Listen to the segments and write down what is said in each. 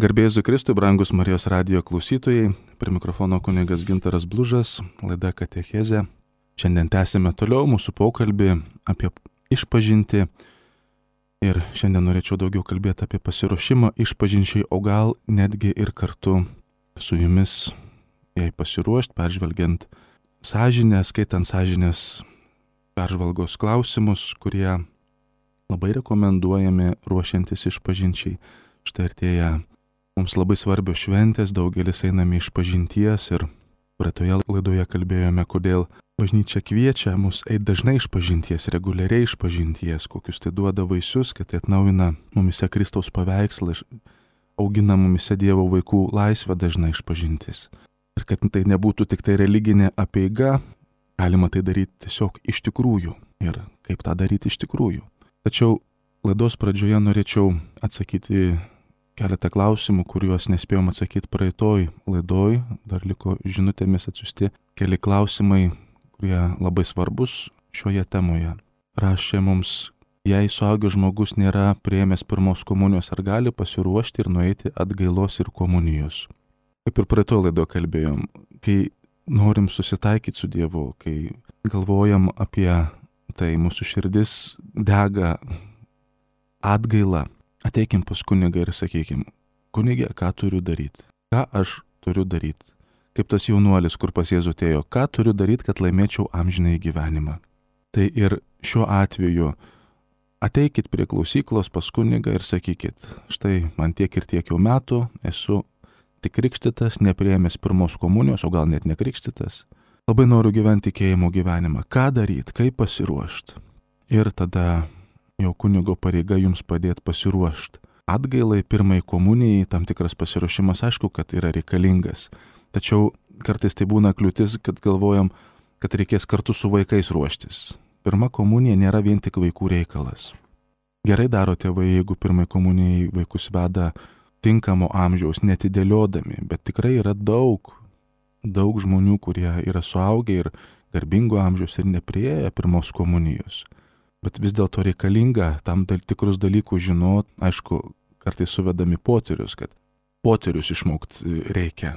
Garbė Jėzui Kristui, brangus Marijos radijo klausytojai, prie mikrofono kunigas Gintaras Blužas, laida Katechezė. Šiandien tęsime toliau mūsų pokalbį apie išpažintį ir šiandien norėčiau daugiau kalbėti apie pasiruošimą išpažinčiai, o gal netgi ir kartu su jumis jai pasiruošti, peržvelgiant sąžinę, skaitant sąžinės peržvalgos klausimus, kurie labai rekomenduojami ruošiantis išpažinčiai. Štai artėja mums labai svarbios šventės, daugelis einame išpažinties ir praeitoje laidoje kalbėjome, kodėl bažnyčia kviečia mus eiti dažnai išpažinties, reguliariai išpažinties, kokius tai duoda vaisius, kad tai atnaujina mumise Kristaus paveikslą, augina mumise Dievo vaikų laisvę dažnai išpažintis. Ir kad tai nebūtų tik tai religinė apeiga, galima tai daryti tiesiog iš tikrųjų. Ir kaip tą daryti iš tikrųjų. Tačiau laidos pradžioje norėčiau atsakyti keletą klausimų, kuriuos nespėjom atsakyti praeitoj laidoj. Dar liko žinutėmis atsiųsti keli klausimai, kurie labai svarbus šioje temoje. Rašė mums, jei suaugęs žmogus nėra priėmęs pirmos komunijos, ar gali pasiruošti ir nueiti atgailos ir komunijos. Kaip ir praeitoj laidoje kalbėjom, kai norim susitaikyti su Dievu, kai galvojam apie tai, mūsų širdis dega atgaila. Ateikim pas kunigą ir sakykim, kunigė, ką turiu daryti? Ką aš turiu daryti? Kaip tas jaunuolis, kur pas Jėzų atėjo, ką turiu daryti, kad laimėčiau amžinąjį gyvenimą? Tai ir šiuo atveju ateikit prie klausyklos pas kunigą ir sakykit, štai man tiek ir tiek jau metų, esu tik krikštytas, nepriėmęs pirmos komunijos, o gal net nekrikštytas. Labai noriu gyventi tikėjimo gyvenimą. Ką daryti, kaip pasiruošti? Ir tada jau kunigo pareiga jums padėti pasiruošti. Atgailai, pirmai komunijai, tam tikras pasiruošimas, aišku, kad yra reikalingas. Tačiau kartais tai būna kliūtis, kad galvojam, kad reikės kartu su vaikais ruoštis. Pirma komunija nėra vien tik vaikų reikalas. Gerai daro tėvai, jeigu pirmai komunijai vaikus veda tinkamo amžiaus, netidėliodami, bet tikrai yra daug žmonių, kurie yra suaugę ir garbingo amžiaus ir nepriėję pirmos komunijos. Bet vis dėlto reikalinga tam tikrus dalykus žinot, aišku, kartais suvedami poterius, kad poterius išmokti reikia.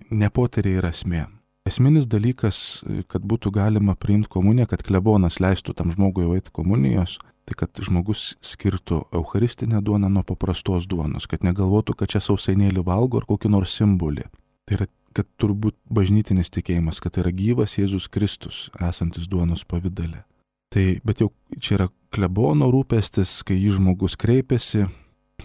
Ne poteriai yra esmė. Esminis dalykas, kad būtų galima priimti komuniją, kad klebonas leistų tam žmogui eiti komunijos, tai kad žmogus skirtų eucharistinę duoną nuo paprastos duonos, kad negalvotų, kad čia sausainėlį valgo ar kokį nors simbolį. Tai yra, kad turbūt bažnytinis tikėjimas, kad tai yra gyvas Jėzus Kristus, esantis duonos pavidale. Tai, bet jau čia yra klebono rūpestis, kai jį žmogus kreipiasi,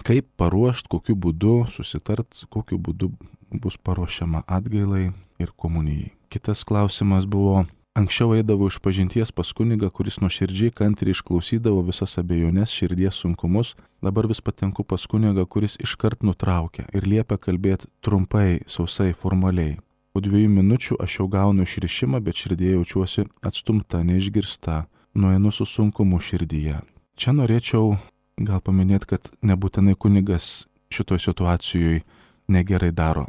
kaip paruošti, kokiu būdu susitart, kokiu būdu bus paruošiama atgailai ir komunijai. Kitas klausimas buvo, anksčiau eidavau išpažinties pas kunigą, kuris nuoširdžiai kantriai išklausydavo visas abejonės, širdies sunkumus, dabar vis patenku pas kunigą, kuris iškart nutraukia ir liepia kalbėti trumpai, sausai, formaliai. Po 2 minučių aš jau gaunu išrišimą, bet širdėje jaučiuosi atstumta, neišgirsta. Nueinu su sunkumu širdyje. Čia norėčiau gal paminėti, kad nebūtinai kunigas šitoj situacijoje negerai daro.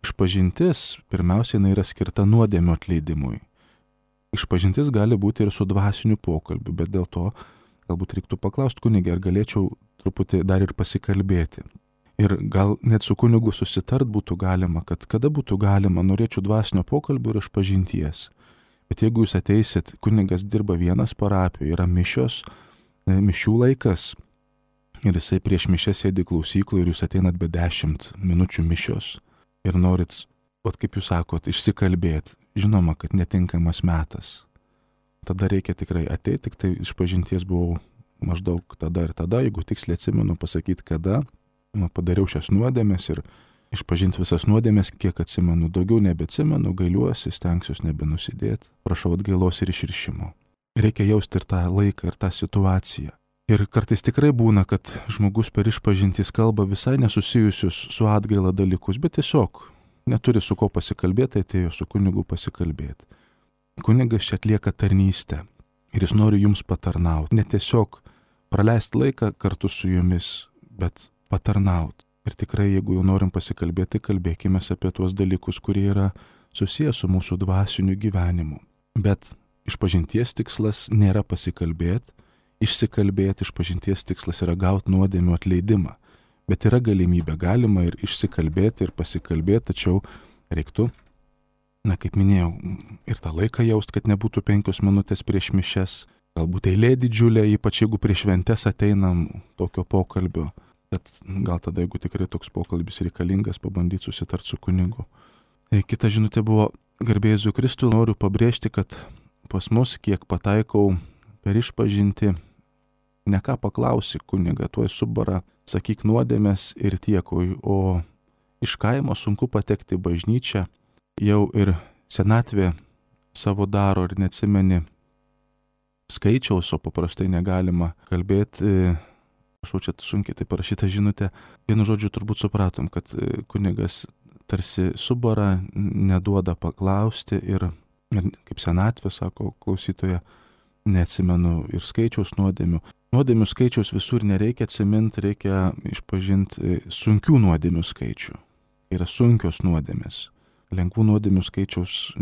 Išpažintis pirmiausia yra skirta nuodėmio atleidimui. Išpažintis gali būti ir su dvasiniu pokalbiu, bet dėl to galbūt reiktų paklausti kunigą, ar galėčiau truputį dar ir pasikalbėti. Ir gal net su kunigu susitart būtų galima, kad kada būtų galima, norėčiau dvasinio pokalbio ir išpažinties. Bet jeigu jūs ateisit, kunigas dirba vienas parapijoje, yra mišios, mišių laikas ir jisai prieš mišę sėdi klausykloje ir jūs ateinat be 10 minučių mišios ir norit, kaip jūs sakot, išsikalbėti, žinoma, kad netinkamas metas. Tada reikia tikrai ateiti, tik tai išpažinties buvau maždaug tada ir tada, jeigu tiksliai atsimenu pasakyti kada, padariau šias nuodėmes ir išpažinti visas nuodėmės, kiek atsimenu, daugiau nebeatsimenu, gailiuosi, stengsiuosi nebenusidėti, prašau atgailos ir išrišimo. Reikia jausti ir tą laiką, ir tą situaciją. Ir kartais tikrai būna, kad žmogus per išpažintis kalba visai nesusijusius su atgaila dalykus, bet tiesiog neturi su ko pasikalbėti, atėjo su kunigu pasikalbėti. Kunigas čia atlieka tarnystę ir jis nori jums patarnauti. Ne tiesiog praleisti laiką kartu su jumis, bet patarnauti. Ir tikrai, jeigu jau norim pasikalbėti, kalbėkime apie tuos dalykus, kurie yra susijęs su mūsų dvasiniu gyvenimu. Bet išpažinties tikslas nėra pasikalbėti, išsikalbėti, išpažinties tikslas yra gauti nuodėmių atleidimą. Bet yra galimybė, galima ir išsikalbėti, ir pasikalbėti, tačiau reiktų, kaip minėjau, ir tą laiką jaust, kad nebūtų 5 minutės prieš mišias, galbūt eilė didžiulė, ypač jeigu prieš šventes ateinam tokio pokalbio, bet gal tada, jeigu tikrai toks pokalbis reikalingas, pabandyti susitarti su kunigu. Kita žinutė buvo: garbė Jėzui Kristui, noriu pabrėžti, kad pas mus, kiek pataikau per išpažinti, ne ką paklausi kunigą, tuoj subara, sakyk nuodėmės ir tiek, o iš kaimo sunku patekti į bažnyčią, jau ir senatvė savo daro ir neatsimeni skaičiaus, o paprastai negalima kalbėti. Aš čia sunkiai tai parašyta žinutė. Vienu žodžiu turbūt supratom, kad kunigas tarsi subara, neduoda paklausti ir kaip senatvė, sako klausytoja, neatsimenu ir skaičiaus nuodėmių. Nuodėmių skaičiaus visur nereikia atsiminti, reikia išpažinti sunkių nuodėmių skaičių. Yra sunkios nuodėmės. Lengvų nuodėmių skaičiaus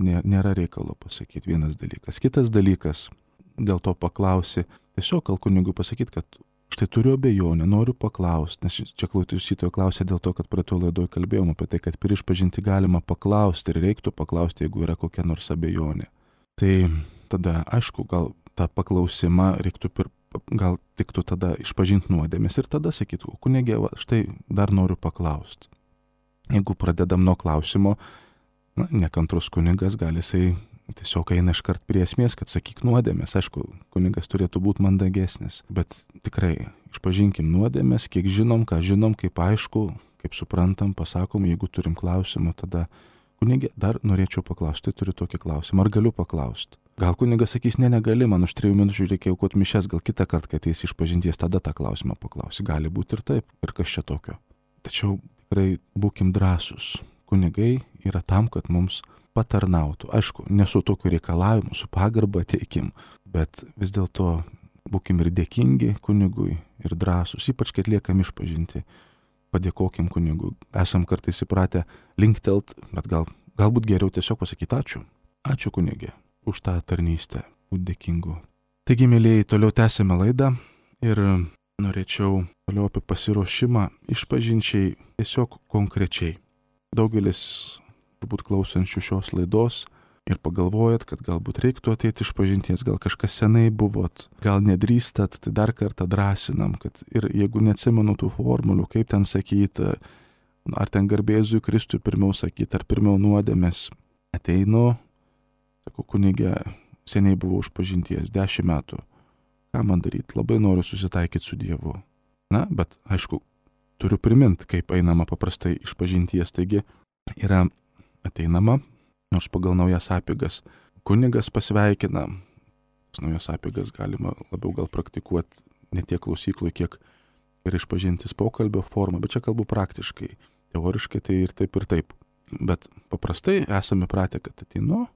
nėra reikalo pasakyti, vienas dalykas. Kitas dalykas, dėl to paklausi, tiesiog gal kunigui pasakyti, kad štai turiu abejonę, noriu paklausti, nes čia klausytojo klausė dėl to, kad prie to laidoje kalbėjom apie tai, kad per išpažinti galima paklausti ir reiktų paklausti, jeigu yra kokia nors abejonė. Tai tada, aišku, gal tą paklausimą reiktų gal tiktų tada išpažinti nuodėmės ir tada sakytų, kunigė, štai dar noriu paklausti. Jeigu pradedam nuo klausimo, nekantrus kunigas gali jisai tiesiog eina iškart prie esmės, kad sakyk nuodėmės. Aišku, kunigas turėtų būti mandagesnis, bet tikrai išpažinkim nuodėmės, kiek žinom, ką žinom, kaip aišku, kaip suprantam, pasakom, jeigu turim klausimą, tada kunigė, dar norėčiau paklausti, turiu tokį klausimą, ar galiu paklausti? Gal kunigas sakys, negali, man už 3 minučių reikia aukoti mišias, gal kitą kartą, kai ateis išpažinties, tada tą klausimą paklausi. Gali būti ir taip, ir kas čia tokio. Tačiau tikrai būkim drąsūs. Kunigai yra tam, kad mums patarnautų. Aišku, nesu tokiu reikalavimu, su pagarba teikim, bet vis dėlto būkim ir dėkingi kunigui, ir drąsūs, ypač kai atliekam išpažinti. Padėkokim kunigui. Esam kartais įpratę linktelt, bet galbūt geriau tiesiog pasakyti ačiū. Ačiū kunigė už tą tarnystę, būti dėkingu. Taigi, mėlyjei, toliau tęsime laidą ir norėčiau toliau apie pasiruošimą išpažinčiai tiesiog konkrečiai. Daugelis turbūt klausančių šios laidos ir pagalvojat, kad galbūt reiktų ateiti išpažinties, gal kažkas senai buvot, gal nedrįstat, tai dar kartą drąsinam, kad ir jeigu neatsimenu tų formulių, kaip ten sakyti, ar ten garbė Jėzui Kristui pirmiau sakyti, ar pirmiau nuodėmės, ateinu, sakau, kunigė, seniai buvau išpažinties, 10 metų, ką man daryti, labai noriu susitaikyti su Dievu. Bet aišku, turiu priminti, kaip einama paprastai išpažinties, taigi yra ateinama, nors pagal naujas apeigas kunigas pasveikina. Naujas apeigas galima labiau gal praktikuoti ne tiek klausyklui, kiek ir išpažintis pokalbio formą, bet čia kalbu praktiškai. Teoriškai tai ir taip ir taip. Bet paprastai esame pratę, kad ateinu,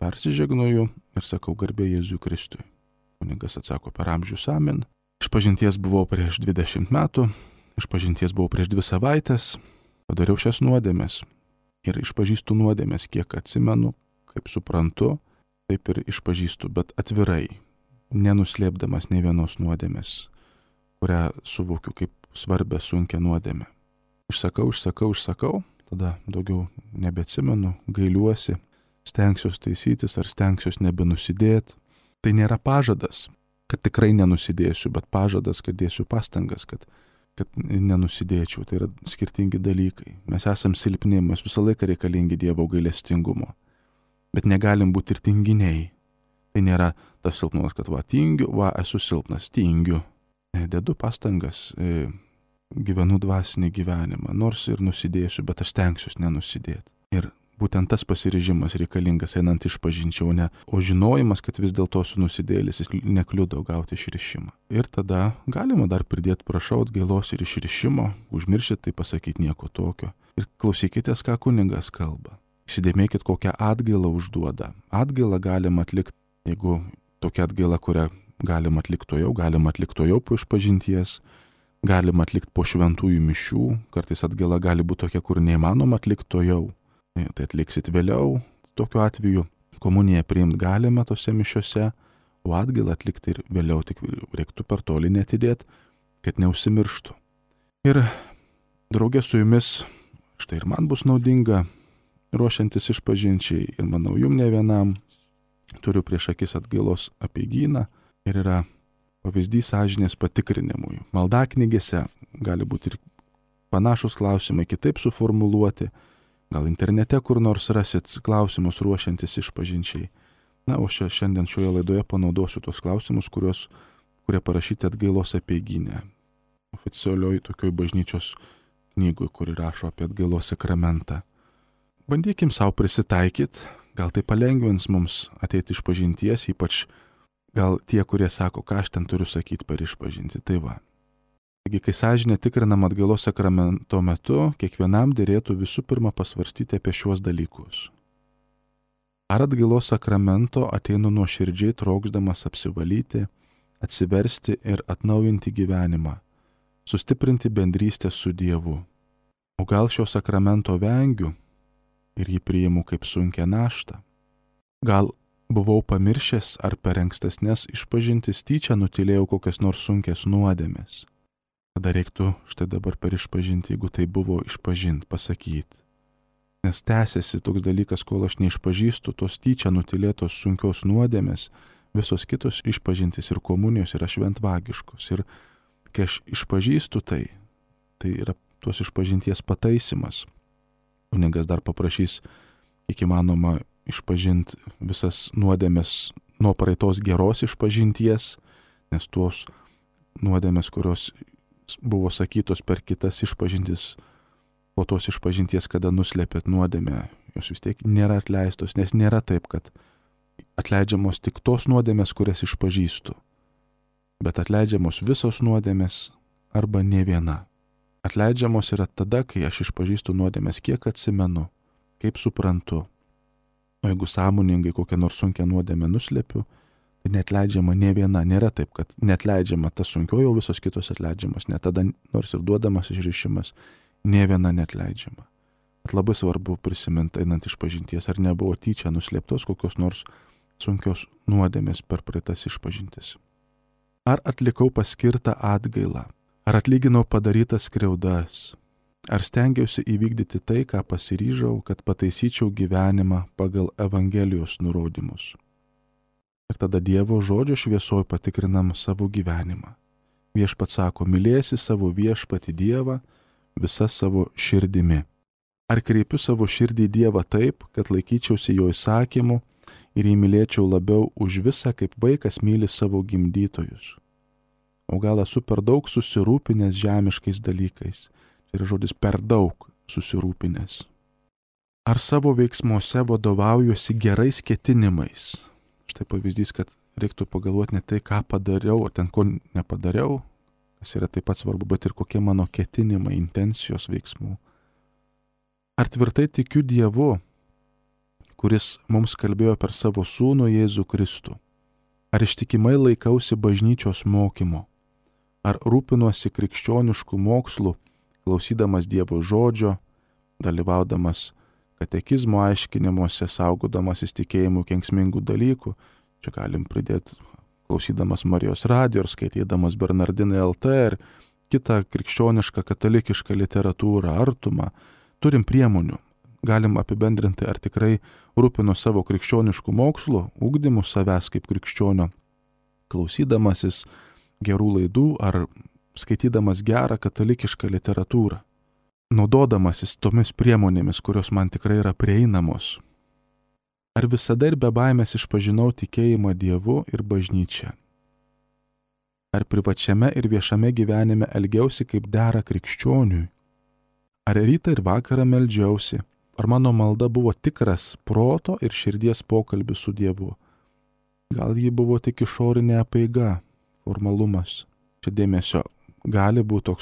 persižegnoju ir sakau garbė Jėzui Kristui. Kunigas atsako per amžius amen. Išpažinties buvau prieš 20 metų, išpažinties buvau prieš 2 savaitės, padariau šias nuodėmes. Ir išpažįstu nuodėmės, kiek atsimenu, kaip suprantu, taip ir išpažįstu, bet atvirai, nenuslėpdamas nei vienos nuodėmės, kurią suvokiu kaip svarbę sunkią nuodėmę. Išsakau, tada daugiau nebeatsimenu, gailiuosi, stengsiuos taisytis ar stengsiuos nebenusidėti. Tai nėra pažadas, kad tikrai nenusidėsiu, bet pažadas, kad dėsiu pastangas, kad nenusidėčiau. Tai yra skirtingi dalykai. Mes esam silpni, mes visą laiką reikalingi Dievo gailestingumo. Bet negalim būti ir tinginiai. Tai nėra tas silpnumas, kad tingiu, esu silpnas, tingiu. Dedu pastangas, gyvenu dvasinį gyvenimą, nors ir nusidėsiu, bet aš stengsiuos nenusidėti. Ir būtent tas pasiryžimas reikalingas einant išpažinčiau, o žinojimas, kad vis dėlto esu nusidėlis, jis nekliudo gauti išrišimą. Ir tada galima dar pridėti prašau atgailos ir išrišimo, užmiršit tai pasakyti nieko tokio. Ir klausykitės, ką kunigas kalba. Įsidėmėkit, kokią atgailą užduoda. Atgailą galima atlikti, jeigu tokia atgaila, kurią galima atlikti tojau po išpažinties, galima atlikti po šventųjų mišių, kartais atgaila gali būti tokia, kur neįmanoma atlikti tojau. Tai atliksit vėliau, tokiu atveju komuniją priimti galime tose mišiose, o atgailą atlikti ir vėliau, tik reiktų per toli netidėti, kad neužsimirštų. Ir draugė su jumis, štai ir man bus naudinga, ruošiantis išpažinčiai, ir manau jum ne vienam, turiu prieš akis atgailos apeigyną ir yra pavyzdys sąžinės patikrinimui. Maldaknygėse gali būti ir panašus klausimai kitaip suformuluoti, gal internete kur nors rasit klausimus ruošiantis išpažinčiai. Na, o šiandien šioje laidoje panaudosiu tos klausimus, kurie parašyti atgailos apeigyne. Oficialioj tokioj bažnyčios knygui, kuri rašo apie atgailos sakramentą. Bandykim savo prisitaikyti, gal tai palengvins mums ateiti išpažinties, ypač gal tie, kurie sako, ką aš ten turiu sakyti per išpažinti. Tai va. Taigi, kai sąžinė tikrinama atgailos sakramento metu, kiekvienam dėrėtų visų pirma pasvarstyti apie šiuos dalykus. Ar atgailos sakramento ateinu nuoširdžiai trokšdamas apsivalyti, atsiversti ir atnaujinti gyvenimą, sustiprinti bendrystę su Dievu. O gal šio sakramento vengiu ir jį priimu kaip sunkią naštą? Gal buvau pamiršęs ar per ankstesnes išpažintis tyčia nutylėjau kokias nors sunkias nuodėmes? Tada reiktų štai dabar per išpažinti, jeigu tai buvo išpažinti, pasakyti. Nes tęsiasi toks dalykas, kol aš neišpažįstu tos tyčia nutylėtos sunkios nuodėmės, visos kitos išpažintis ir komunijos yra šventvagiškos. Ir kai aš išpažįstu tai yra tos išpažinties pataisimas. Kunigas dar paprašys, kiek įmanoma, išpažinti visas nuodėmes nuo praeitos geros išpažinties, nes tuos nuodėmes, kurios buvo sakytos per kitas išpažintis, po tos išpažinties, kada nuslėpėt nuodėmę, jos vis tiek nėra atleistos, nes nėra taip, kad atleidžiamos tik tos nuodėmės, kurias išpažįstu, bet atleidžiamos visos nuodėmės arba ne viena. Atleidžiamos yra tada, kai aš išpažįstu nuodėmės, kiek atsimenu, kaip suprantu. O jeigu sąmoningai kokią nors sunkią nuodėmę nuslėpiu, tai neatleidžiama ne viena. Nėra taip, kad neatleidžiama ta sunkioji, o visos kitos atleidžiamos. Net tada, nors ir duodamas išrišimas, ne viena neatleidžiama. Bet labai svarbu prisiminti, einant išpažinties, ar nebuvo tyčia nuslėptos kokios nors sunkios nuodėmės per praeitas išpažintis. Ar atlikau paskirtą atgailą? Ar atlyginau padarytas skriaudas? Ar stengiausi įvykdyti tai, ką pasiryžau, kad pataisyčiau gyvenimą pagal Evangelijos nurodymus? Ir tada Dievo žodžio šviesoj patikrinam savo gyvenimą. Viešpats sako, mylėsi savo viešpatį Dievą visa savo širdimi. Ar kreipiu savo širdį į Dievą taip, kad laikyčiausi jo įsakymų ir jį mylėčiau labiau už visą, kaip vaikas myli savo gimdytojus? O gal esu per daug susirūpinęs žemiškais dalykais? Tai yra žodis per daug susirūpinęs. Ar savo veiksmuose vadovaujuosi gerais ketinimais? Štai pavyzdys, kad reiktų pagalvoti ne tai, ką padariau, o ten ko nepadariau, kas yra taip pat svarbu, bet ir kokie mano ketinimai, intencijos veiksmų. Ar tvirtai tikiu Dievu, kuris mums kalbėjo per savo sūnų Jėzų Kristų? Ar ištikimai laikausi bažnyčios mokymo? Ar rūpinuosi krikščioniškų mokslų, klausydamas Dievo žodžio, dalyvaudamas katekizmo aiškinimuose, saugodamas įstikėjimų kenksmingų dalykų, čia galim pridėti klausydamas Marijos radijo ir skaitydamas Bernardinai LT ir kitą krikščionišką katalikišką literatūrą, artumą, turim priemonių. Galim apibendrinti, ar tikrai rūpinu savo krikščioniškų mokslų, ugdymu savęs kaip krikščionio, klausydamasis gerų laidų ar skaitydamas gerą katalikišką literatūrą, naudodamasis tomis priemonėmis, kurios man tikrai yra prieinamos. Ar visada ir be baimės išpažinau tikėjimą Dievu ir bažnyčia? Ar privačiame ir viešame gyvenime elgiausi kaip dera krikščioniui? Ar rytą ir vakarą meldžiausi? Ar mano malda buvo tikras proto ir širdies pokalbis su Dievu? Gal ji buvo tik išorinė apeiga, formalumas? Čia dėmesio, gali būti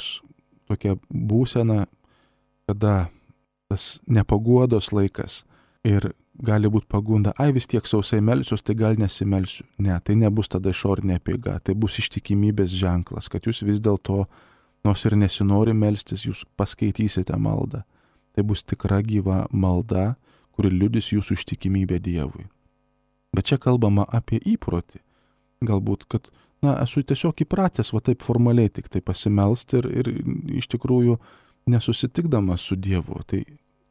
tokia būsena, kada tas nepaguodos laikas ir gali būti pagunda, vis tiek sausai melsiuos, tai gal nesimelsiu. Ne, tai nebus tada išorinė apeiga, tai bus ištikimybės ženklas, kad jūs vis dėlto, nors ir nesinori melstis, jūs paskaitysite maldą. Tai bus tikra gyva malda, kuri liudys jūsų ištikimybę Dievui. Bet čia kalbama apie įprotį. Galbūt, kad esu tiesiog įpratęs va taip formaliai tik tai pasimelsti ir iš tikrųjų nesusitikdamas su Dievu, tai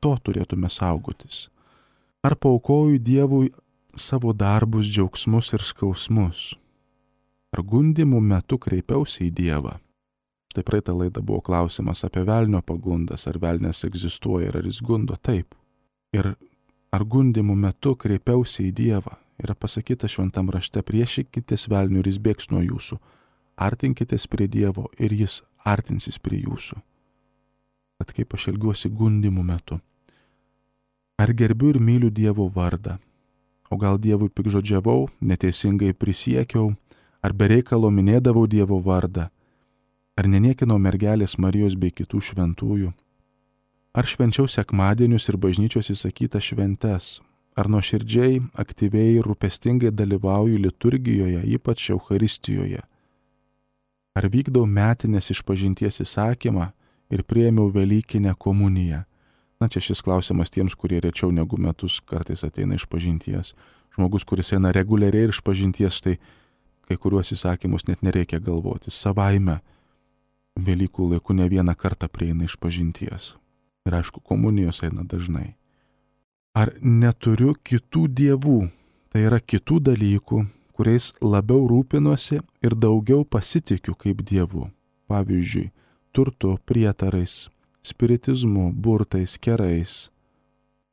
to turėtume saugotis. Ar paaukoju Dievui savo darbus, džiaugsmus ir skausmus? Ar gundimų metu kreipiausi į Dievą? Štai praeitą laidą buvo klausimas apie velnio pagundas, ar velnės egzistuoja ir ar jis gundo. Taip. Ir ar gundimų metu kreipiausi į Dievą? Yra pasakyta šventam rašte, priešykitės velniui ir jis bėgs nuo jūsų. Artinkitės prie Dievo ir jis artinsis prie jūsų. Tad kaip aš elgiuosi gundimų metu? Ar gerbiu ir myliu Dievo vardą? O gal Dievui pikžodžiavau, neteisingai prisiekiau, ar bereikalo minėdavau Dievo vardą? Ar neniekinau mergelės Marijos bei kitų šventųjų? Ar švenčiau sekmadienius ir bažnyčios įsakytas šventes? Ar nuoširdžiai, aktyviai ir rūpestingai dalyvauju liturgijoje, ypač Eucharistijoje? Ar vykdau metinės išpažinties įsakymą ir priėmiau Velykinę komuniją? Čia šis klausimas tiems, kurie rečiau negu metus kartais ateina išpažinties. Žmogus, kuris eina reguliariai išpažinties, tai kai kuriuos įsakymus net nereikia galvoti. Savaime Velykų laiku ne vieną kartą prieina išpažinties. Ir aišku, komunijos eina dažnai. Ar neturiu kitų dievų, tai yra kitų dalykų, kuriais labiau rūpinuosi ir daugiau pasitikiu kaip dievu? Pavyzdžiui, turtu, prietarais, spiritizmu, burtais, kerais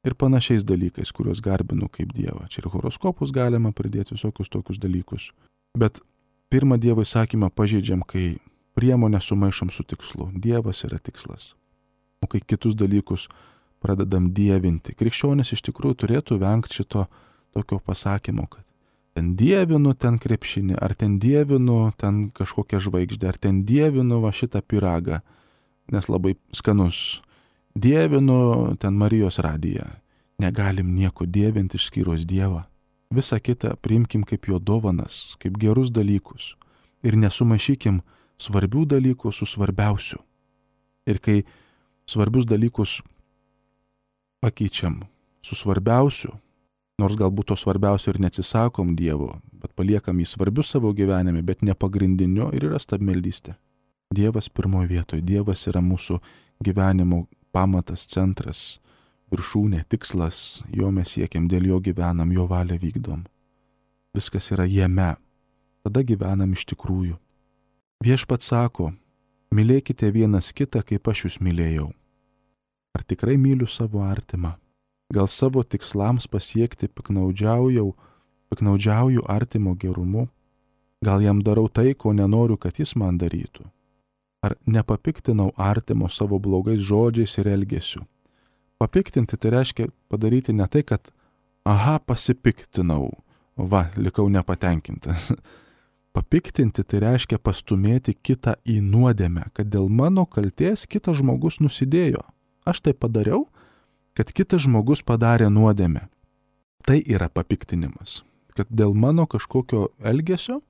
ir panašiais dalykais, kuriuos garbinu kaip dievą. Čia ir horoskopus galima pridėti, visokius tokius dalykus. Bet pirmą Dievo įsakymą pažeidžiam, kai priemonę sumaišom su tikslu. Dievas yra tikslas. O kai kitus dalykus pradedam dievinti. Krikščionis iš tikrųjų turėtų vengti šito tokio pasakymo, kad ten dievinu ten krepšinį, ar ten dievinu ten kažkokią žvaigždę, ar ten dievinu va šitą pyragą, nes labai skanus. Dievinu ten Marijos radiją. Negalim nieko dievinti išskyrus Dievą. Visą kitą priimkim kaip jo dovanas, kaip gerus dalykus. Ir nesumaišykim svarbių dalykų su svarbiausiu. Ir kai svarbius dalykus pakeičiam su svarbiausiu, nors galbūt to svarbiausio ir neatsisakom Dievo, bet paliekam jį svarbiu savo gyvenime, bet ne pagrindinio, ir yra stabmeldystė. Dievas pirmoje vietoje. Dievas yra mūsų gyvenimo pamatas, centras, viršūnė, tikslas. Jo mes siekiam, dėl jo gyvenam, jo valią vykdom. Viskas yra jame. Tada gyvenam iš tikrųjų. Viešpats sako, mylėkite vienas kitą, kaip aš jūs mylėjau. Ar tikrai myliu savo artimą? Gal savo tikslams pasiekti piknaudžiauju artimo gerumu? Gal jam darau tai, ko nenoriu, kad jis man darytų? Ar nepapiktinau artimo savo blogais žodžiais ir elgesiu? Papiktinti tai reiškia padaryti ne tai, kad pasipiktinau, likau nepatenkintas. Papiktinti tai reiškia pastumėti kitą į nuodėmę, kad dėl mano kaltės kitas žmogus nusidėjo. Aš tai padariau, kad kitas žmogus padarė nuodėmę. Tai yra papiktinimas, kad dėl mano kažkokio elgesio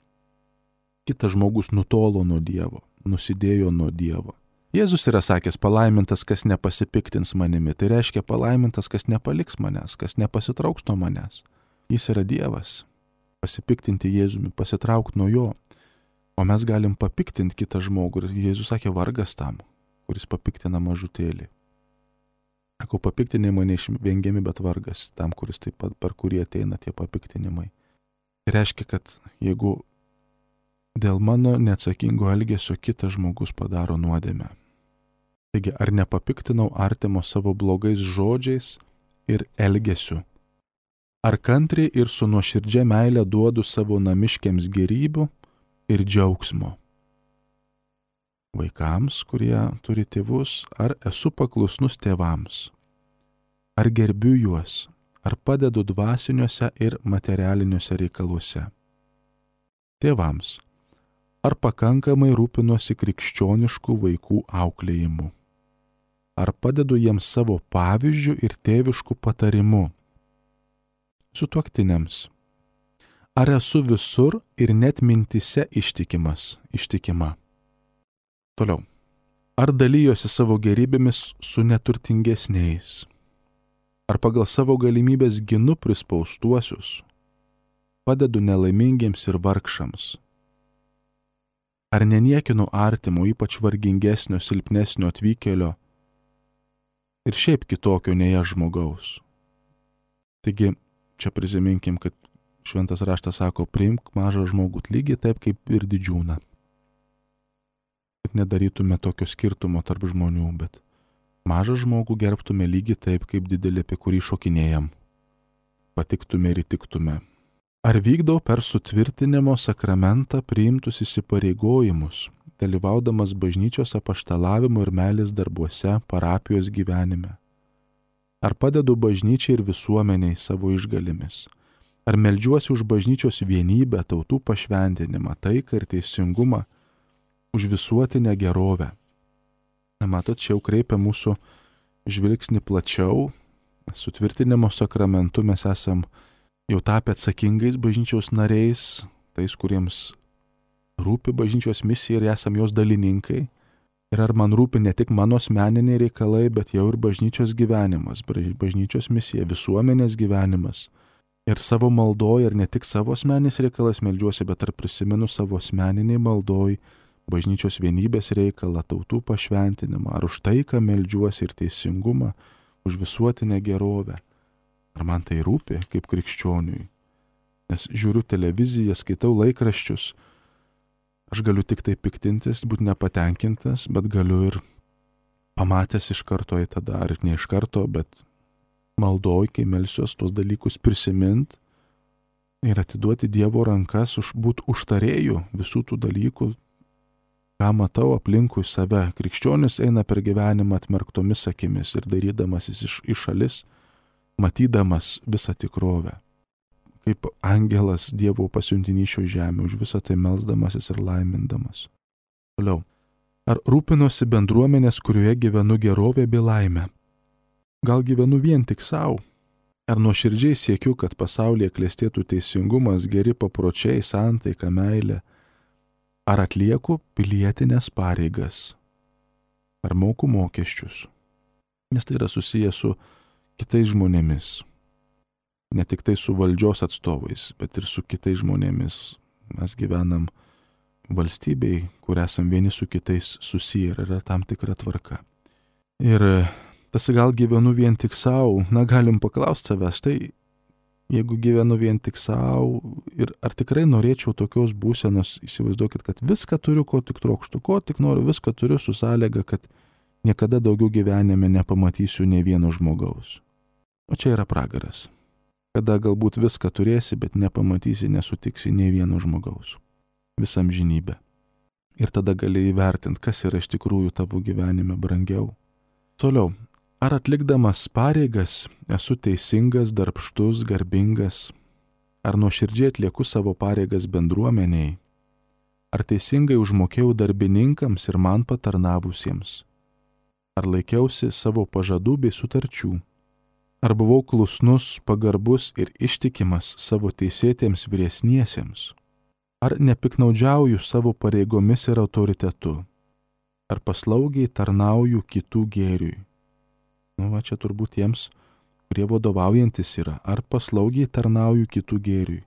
kitas žmogus nutolo nuo Dievo, nusidėjo nuo Dievo. Jėzus yra sakęs, palaimintas, kas nepasipiktins manimi. Tai reiškia palaimintas, kas nepaliks manęs, kas nepasitrauks nuo manęs. Jis yra Dievas. Pasipiktinti Jėzumi, pasitraukti nuo jo. O mes galim papiktinti kitą žmogų. Ir Jėzus sakė, vargas tam, kuris papiktina mažutėlį. Sakau, papiktinimai neišvengiami, bet vargas tam, kuris taip pat, per kurį ateina tie papiktinimai. Tai reiškia, kad jeigu dėl mano neatsakingo elgesio kitas žmogus padaro nuodėmę. Taigi, ar nepapiktinau artimo savo blogais žodžiais ir elgesiu? Ar kantriai ir su nuoširdžia meile duodu savo namiškiams gėrybių ir džiaugsmo? Vaikams, kurie turi tėvus, ar esu paklusnus tėvams? Ar gerbiu juos? Ar padedu dvasiniuose ir materialiniuose reikaluose? Tėvams, ar pakankamai rūpinuosi krikščioniškų vaikų auklėjimu? Ar padedu jiems savo pavyzdžių ir tėviškų patarimų? Sutuoktiniams. Ar esu visur ir net mintise ištikima? Toliau. Ar dalyjosi savo gerybėmis su neturtingesniais? Ar pagal savo galimybės ginu prispaustuosius? Padedu nelaimingiems ir vargšams? Ar neniekinu artimo, ypač vargingesnio, silpnesnio atvykėlio ir šiaip kitokio nei aš žmogaus. Taigi, čia prisiminkim, kad šventas raštas sako, priimk mažą žmogų lygiai taip kaip ir didžiūną. Kad nedarytume tokio skirtumo tarp žmonių, bet mažą žmogų gerbtume lygiai taip kaip didelį, apie kurį šokinėjam. Patiktume ir įtiktume. Ar vykdau per sutvirtinimo sakramentą priimtus įsipareigojimus, dalyvaudamas bažnyčios apaštalavimo ir meilės darbuose, parapijos gyvenime? Ar padedu bažnyčiai ir visuomeniai savo išgalimis? Ar meldžiuosi už bažnyčios vienybę, tautų pašventinimą, taiką ir teisingumą, už visuotinę gerovę? Matot, čia jau kreipia mūsų žvilgsnį plačiau. Sutvirtinimo sakramentu mes esam jau tapę atsakingais bažnyčios nariais, tais, kuriems rūpi bažnyčios misija ir esam jos dalininkai. Ir ar man rūpi ne tik mano asmeniniai reikalai, bet jau ir bažnyčios gyvenimas, bažnyčios misija, visuomenės gyvenimas. Ir savo maldoj, ir ne tik savo asmeninis reikalas meldžiuosi, bet ar prisimenu savo asmeniniai maldoj bažnyčios vienybės reikalą, tautų pašventinimą, ar už taiką meldžiuosi ir teisingumą, už visuotinę gerovę. Ar man tai rūpi kaip krikščioniui? Nes žiūriu televiziją, skaitau laikraščius, aš galiu tik tai piktintis, būti nepatenkintas, bet galiu ir pamatęs iš karto į tada, ar ne iš karto, bet maldoj, kai melsiuos, tuos dalykus prisimint ir atiduoti Dievo rankas, būti užtarėjų visų tų dalykų, ką matau aplinkui save. Krikščionis eina per gyvenimą atmerktomis akimis ir darydamasis iš šalis, matydamas visą tikrovę. Kaip angelas Dievo pasiuntinys šio žemė, už visą tai melsdamasis ir laimindamas. Toliau. Ar rūpinosi bendruomenės, kurioje gyvenu gerovė bei laimė? Gal gyvenu vien tik savo? Ar nuoširdžiai siekiu, kad pasaulyje klestėtų teisingumas, geri papročiai, santaika, meilė? Ar atlieku pilietinės pareigas? Ar moku mokesčius? Nes tai yra susijęs su kitais žmonėmis. Ne tik tai su valdžios atstovais, bet ir su kitais žmonėmis. Mes gyvenam valstybei, kur esam vieni su kitais susiję ir yra tam tikra tvarka. Ir tas gal gyvenu vien tik savo, galim paklausti savęs, tai jeigu gyvenu vien tik savo ir ar tikrai norėčiau tokios būsenos, įsivaizduokit, kad viską turiu, ko tik trokštu, ko tik noriu, viską turiu su sąlyga, kad niekada daugiau gyvenime nepamatysiu nei vieno žmogaus. O čia yra pragaras. Kada galbūt viską turėsi, bet nepamatysi, nesutiksi nei vieno žmogaus. Visą amžinybę. Ir tada gali įvertinti, kas yra iš tikrųjų tavo gyvenime brangiau. Toliau. Ar atlikdamas pareigas esu teisingas, darbštus, garbingas? Ar nuoširdžiai atlieku savo pareigas bendruomeniai? Ar teisingai užmokėjau darbininkams ir man patarnavusiems? Ar laikiausi savo pažadų bei sutarčių? Ar buvau klusnus, pagarbus ir ištikimas savo teisėtiems vyresniesiems? Ar nepiknaudžiauju savo pareigomis ir autoritetu? Ar paslaugiai tarnauju kitų gėriui? Čia turbūt tiems, kurie vadovaujantis yra. Ar paslaugiai tarnauju kitų gėriui?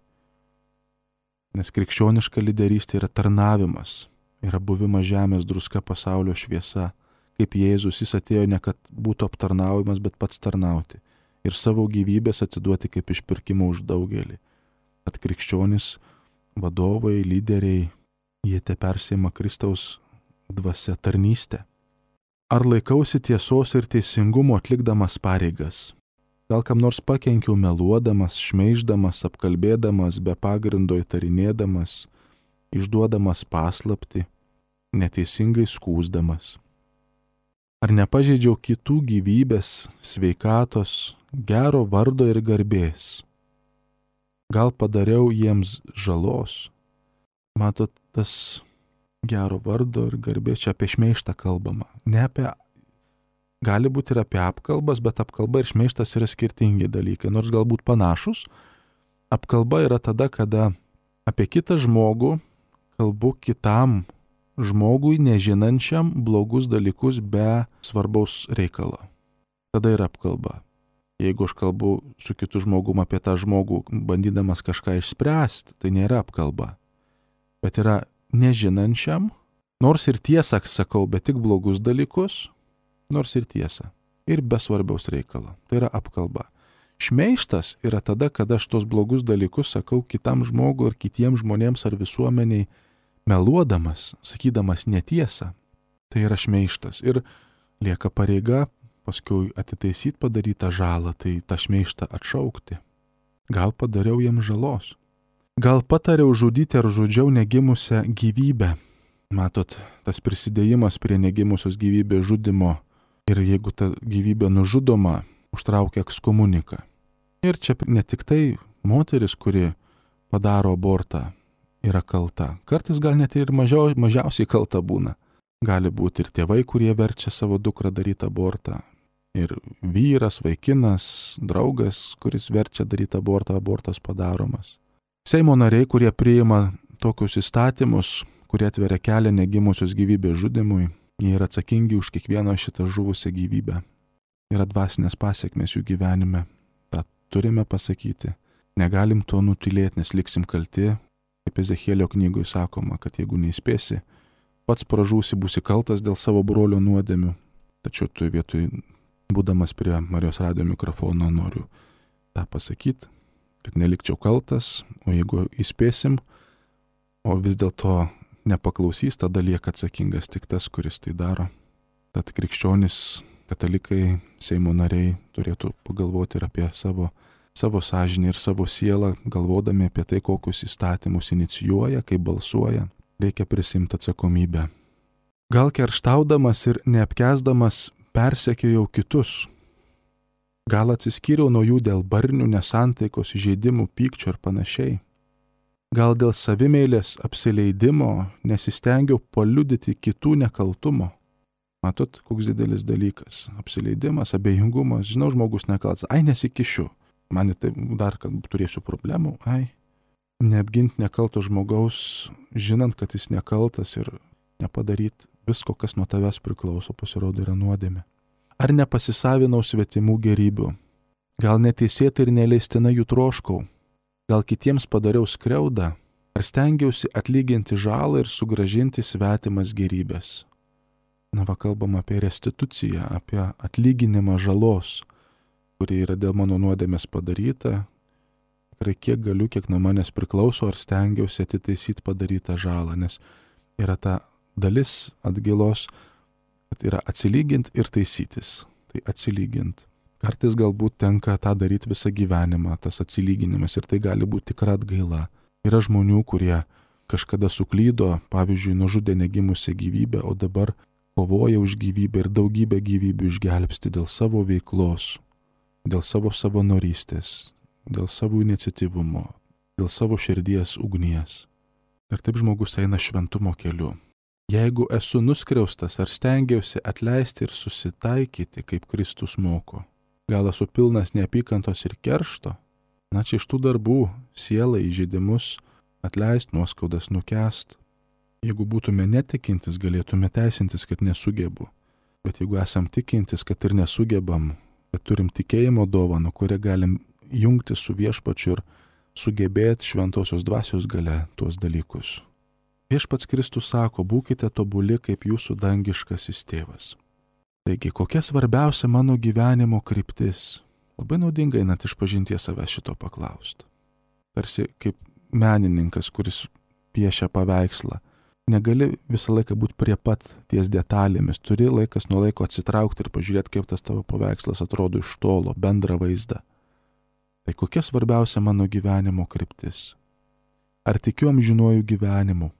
Nes krikščioniška lyderystė yra tarnavimas, yra buvimas žemės druska, pasaulio šviesa. Kaip Jėzus, jis atėjo ne kad būtų aptarnaujamas, bet pats tarnauti. Ir savo gyvybės atiduoti kaip išpirkimą už daugelį. At krikščionis, vadovai, lyderiai, jie te persima Kristaus dvasia tarnystę. Ar laikausi tiesos ir teisingumo atlikdamas pareigas? Gal kam nors pakenkiau meluodamas, šmeiždamas, apkalbėdamas, be pagrindo įtarinėdamas, išduodamas paslaptį, neteisingai skųsdamas? Ar nepažeidžiau kitų gyvybės, sveikatos, gero vardo ir garbės? Gal padariau jiems žalos? Matot, tas gero vardo ir garbės, čia apie šmeižtą kalbama. Ne apie, gali būti ir apie apkalbas, bet apkalba ir šmeižtas yra skirtingi dalykai, nors galbūt panašus. Apkalba yra tada, kada apie kitą žmogų kalbu kitam žmogui, nežinančiam blogus dalykus be svarbaus reikalo. Tada yra apkalba. Jeigu aš kalbu su kitu žmogum apie tą žmogų, bandydamas kažką išspręsti, tai nėra apkalba. Bet yra nežinančiam, nors ir tiesą sakau, bet tik blogus dalykus, nors ir tiesą. Ir be svarbiaus reikalo. Tai yra apkalba. Šmeižtas yra tada, kada aš tos blogus dalykus sakau kitam žmogui ir kitiems žmonėms ar visuomeniai meluodamas, sakydamas netiesą. Tai yra šmeižtas. Ir lieka pareiga paskui atitaisyti padarytą žalą, tai tą šmeižtą atšaukti. Gal padariau jam žalos. Gal patariau žudyti ar žudžiau negimusią gyvybę. Matot, tas prisidėjimas prie negimusios gyvybės žudimo ir jeigu ta gyvybė nužudoma, užtraukia ekskomuniką. Ir čia ne tik tai moteris, kuri padaro abortą, yra kalta. Kartais gal net ir mažiausiai kalta būna. Gali būti ir tėvai, kurie verčia savo dukrą daryti abortą. Ir vyras, vaikinas, draugas, kuris verčia daryti abortą, abortas padaromas. Seimo nariai, kurie priima tokius įstatymus, kurie atveria kelią negimusios gyvybės žudimui, jie yra atsakingi už kiekvieną šitą žuvusią gyvybę. Yra dvasinės pasiekmės jų gyvenime. Ta turime pasakyti. Negalim to nutylėti, nes liksim kalti. Kaip Ezechielio knygoje sakoma, kad jeigu neįspėsi, pats pražūsi, būsi kaltas dėl savo brolio nuodėmių. Tačiau tu vietoj, būdamas prie Marijos radijo mikrofono, noriu tą pasakyti, kad nelikčiau kaltas, o jeigu įspėsim, o vis dėlto nepaklausys, tada lieka atsakingas tik tas, kuris tai daro. Tad krikščionys, katalikai, Seimo nariai turėtų pagalvoti ir apie savo sąžinį ir savo sielą, galvodami apie tai, kokius įstatymus inicijuoja, kaip balsuoja. Reikia prisimti atsakomybę. Gal kerštaudamas ir neapkęsdamas persekiojau kitus. Gal atsiskyriau nuo jų dėl barnių, nesantaikos, įžeidimų, pykčio ir panašiai. Gal dėl savimeilės apsileidimo nesistengiau paliudyti kitų nekaltumo. Matot, koks didelis dalykas. Apsileidimas, abejingumas. Žinau, žmogus nekaltas. Ai, nesikišiu. Man tai dar, kad turėsiu problemų. Ai. Neapginti nekalto žmogaus, žinant, kad jis nekaltas ir nepadaryti visko, kas nuo tavęs priklauso, pasirodo yra nuodėmė. Ar nepasisavinau svetimų gerybių? Gal neteisėtai ir neleistinai jų troškau? Gal kitiems padariau skriaudą? Ar stengiausi atlyginti žalą ir sugrąžinti svetimas gerybės? Na, kalbam apie restituciją, apie atlyginimą žalos, kuri yra dėl mano nuodėmės padaryta. Tikrai kiek galiu, kiek nuo manęs priklauso, ar stengiausi atitaisyti padarytą žalą, nes yra ta dalis atgailos, kad yra atsilyginti ir taisytis. Tai atsilyginti. Kartais galbūt tenka tą daryti visą gyvenimą, tas atsilyginimas, ir tai gali būti tikra atgaila. Yra žmonių, kurie kažkada suklydo, pavyzdžiui, nužudė negimusią gyvybę, o dabar kovoja už gyvybę ir daugybę gyvybių išgelbsti dėl savo veiklos, dėl savo savanorystės, dėl savo iniciatyvumo, dėl savo širdies ugnies. Ir taip žmogus eina šventumo keliu. Jeigu esu nuskriaustas ar stengiausi atleisti ir susitaikyti, kaip Kristus moko, gal esu pilnas neapykantos ir keršto, na čia iš tų darbų sielą įžeidimus atleist, nuoskaudas nukęst. Jeigu būtume netikintis, galėtume teisintis, kad nesugebu. Bet jeigu esam tikintis, kad ir nesugebam, kad turim tikėjimo dovaną, kurią galim jungti su viešpačiu ir sugebėti šventosios dvasios gale tuos dalykus. Viešpats Kristus sako, būkite tobuli kaip jūsų dangiškasis tėvas. Taigi, kokia svarbiausia mano gyvenimo kryptis? Labai naudinga einant išpažinties savęs šito paklausti. Tarsi kaip menininkas, kuris piešia paveikslą. Negali visą laiką būti prie pat ties detalėmis. Turi laikas nuo laiko atsitraukti ir pažiūrėti, kaip tas tavo paveikslas atrodo iš tolo, bendrą vaizdą. Tai kokia svarbiausia mano gyvenimo kryptis? Ar tikiu amžinuoju gyvenimu?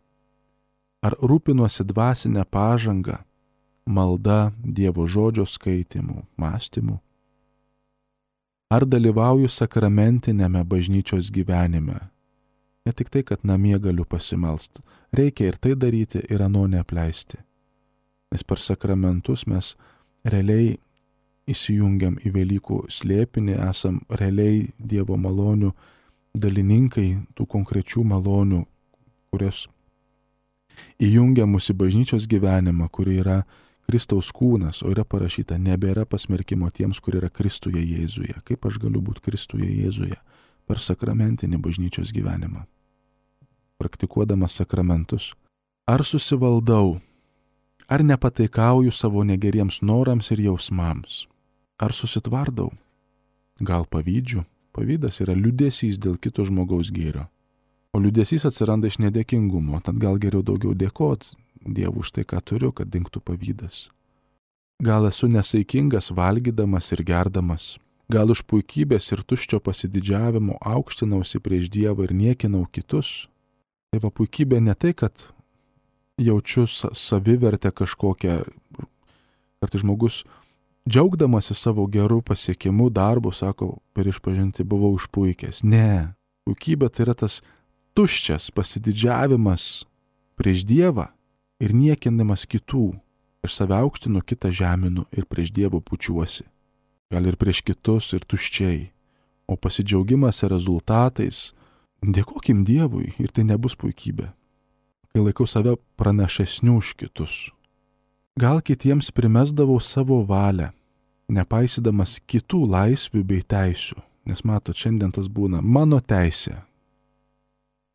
Ar rūpinuosi dvasinę pažangą, malda, Dievo žodžio skaitimu, mąstymu? Ar dalyvauju sakramentinėme bažnyčios gyvenime? Ne tik tai, kad namie galiu pasimelst. Reikia ir tai daryti, ir ano neapleisti. Nes per sakramentus mes realiai įsijungiam į Velykų slėpinį, esam realiai Dievo malonių dalininkai, tų konkrečių malonių, kurios įjungia mūsų bažnyčios gyvenimą, kuri yra Kristaus kūnas, o yra parašyta, nebėra pasmerkimo tiems, kurie yra Kristuje Jėzuje. Kaip aš galiu būti Kristuje Jėzuje? Per sakramentinį bažnyčios gyvenimą. Praktikuodamas sakramentus. Ar susivaldau? Ar nepataikauju savo negeriems norams ir jausmams? Ar susitvardau? Gal pavydžiu? Pavydas yra liūdesys dėl kito žmogaus gėrio. O liūdesys atsiranda iš nedėkingumo, tad gal geriau daugiau dėkot Dievui už tai, ką turiu, kad dingtų pavydas. Gal esu nesaikingas valgydamas ir gerdamas. Gal už puikybės ir tuščio pasididžiavimo aukštinausi prieš Dievą ir niekinau kitus. Tai va, puikybė ne tai, kad jaučiu savivertę kažkokią, kartais žmogus džiaugdamasi savo gerų pasiekimų darbų, sako, per išpažinti buvau išpuikęs. Ne, puikybė tai yra tas tuščias pasididžiavimas prieš Dievą ir niekinamas kitų. Aš save aukštinu, kitą žeminu ir prieš Dievą pučiuosi. Gal ir prieš kitus ir tuščiai. O pasidžiaugimas rezultatais, dėkokim Dievui ir tai nebus puikybė. Kai laikau save pranašesniu už kitus. Gal kitiems primesdavau savo valią, nepaisydamas kitų laisvių bei teisių. Nes matot, šiandien tas būna mano teisė.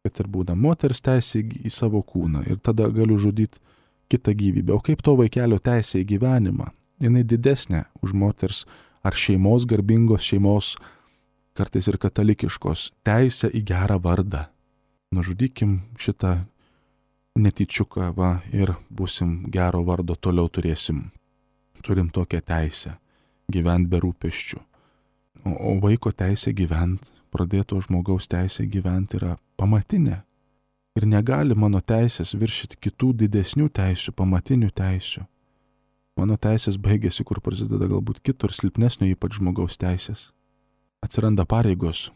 Kad ir būna moters teisė į savo kūną ir tada galiu žudyti kitą gyvybę. O kaip to vaikelio teisė į gyvenimą? Jinai didesnė už moters ar šeimos, garbingos šeimos, kartais ir katalikiškos, teisę į gerą vardą. Nužudykim šitą netyčiuką ir būsim gero vardo, toliau turėsim. Turim tokią teisę gyventi be rūpesčių. O vaiko teisė gyventi, pradėto žmogaus teisė gyventi yra pamatinė. Ir negali mano teisės viršyti kitų didesnių teisių, pamatinių teisių. Mano teisės baigėsi, kur prasideda galbūt kitur, silpnesnio ypač žmogaus teisės. Atsiranda pareigos.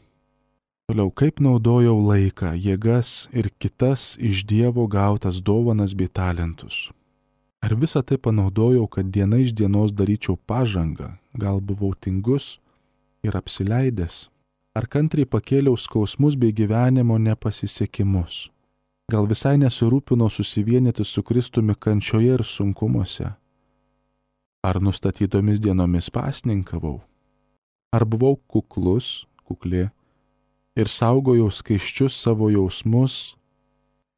Toliau, kaip naudojau laiką, jėgas ir kitas iš Dievo gautas dovanas bei talentus. Ar visą tai panaudojau, kad diena iš dienos daryčiau pažangą, gal buvau tingus ir apsileidęs? Ar kantriai pakėliau skausmus bei gyvenimo nepasisekimus? Gal visai nesirūpinau susivienyti su Kristumi kančioje ir sunkumuose? Ar nustatytomis dienomis pasninkavau? Ar buvau kuklus, kukli ir saugojau skaisčius savo jausmus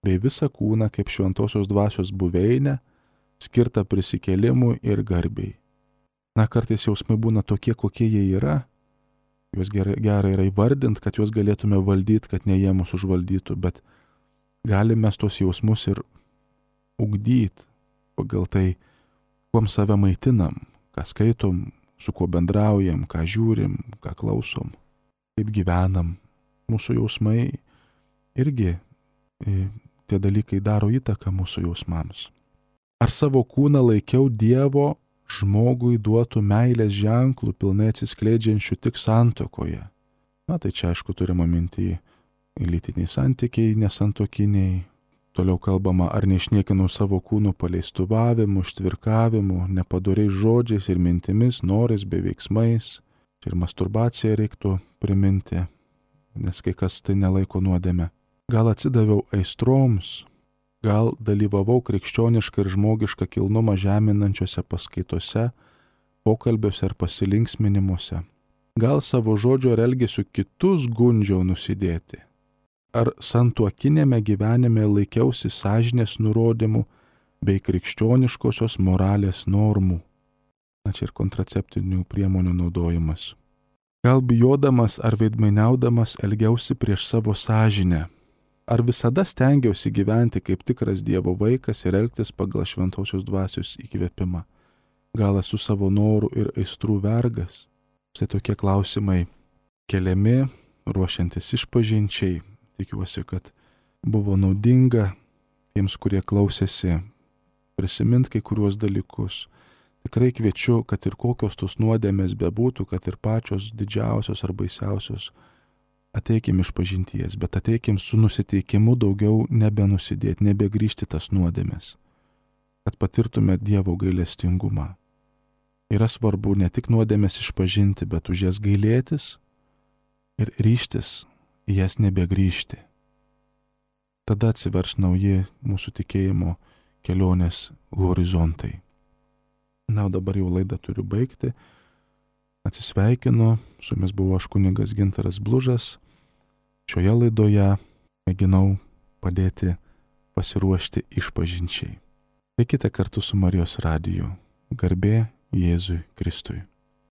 bei visą kūną kaip šventosios dvasios buveinę, skirtą prisikėlimui ir garbei? Na, kartais jausmai būna tokie, kokie jie yra. Juos gerai yra įvardinti, kad juos galėtume valdyti, kad ne jie mus užvaldytų, bet galime tos jausmus ir ugdyti pagal tai, kuom save maitinam, ką skaitom, su kuo bendraujam, ką žiūrim, ką klausom, kaip gyvenam. Mūsų jausmai irgi, tie dalykai daro įtaką mūsų jausmams. Ar savo kūną laikiau Dievo žmogui duotų meilės ženklų, pilnai atsiskleidžiančių tik santuokoje? Na tai čia aišku turima minty lytiniai santykiai, nesantokiniai. Toliau kalbama, ar neišniekinau savo kūnų paleistuvavimu, ištvirkavimu, nepadoriais žodžiais ir mintimis, norais bei veiksmais. Ir masturbaciją reiktų priminti, nes kai kas tai nelaiko nuodėme. Gal atsidaviau aistroms, gal dalyvavau krikščionišką ir žmogišką kilnumą žeminančiose paskaitose, pokalbiuose ar pasilinksminimuose. Gal savo žodžio ir elgesiu kitus gundžiau nusidėti. Ar santuokinėme gyvenime laikiausi sąžinės nurodymų bei krikščioniškosios moralės normų. Na čia ir kontraceptinių priemonių naudojimas. Gal bijodamas ar veidmainiaudamas elgiausi prieš savo sąžinę. Ar visada stengiausi gyventi kaip tikras Dievo vaikas ir elgtis pagal šventosios dvasios įkvėpimą. Gal esu savo norų ir aistrų vergas? Štai tokie klausimai keliami, ruošiantis išpažinčiai. Tikiuosi, kad buvo naudinga tiems, kurie klausėsi, prisiminti kai kuriuos dalykus. Tikrai kviečiu, kad ir kokios tos nuodėmės bebūtų, kad ir pačios didžiausios ar baisiausios, ateikim išpažinties, bet ateikim su nusiteikimu daugiau nebenusidėti, nebegrįžti tas nuodėmės, kad patirtume Dievo gailestingumą. Yra svarbu ne tik nuodėmės išpažinti, bet už jas gailėtis ir ryžtis į jas nebegrįžti. Tada atsivers nauji mūsų tikėjimo kelionės horizontai. Na, o dabar jau laidą turiu baigti. Atsisveikinu, su jumis buvo aš kunigas Gintaras Blužas. Šioje laidoje mėginau padėti pasiruošti išpažinčiai. Likite kartu su Marijos radiju. Garbė Jėzui Kristui.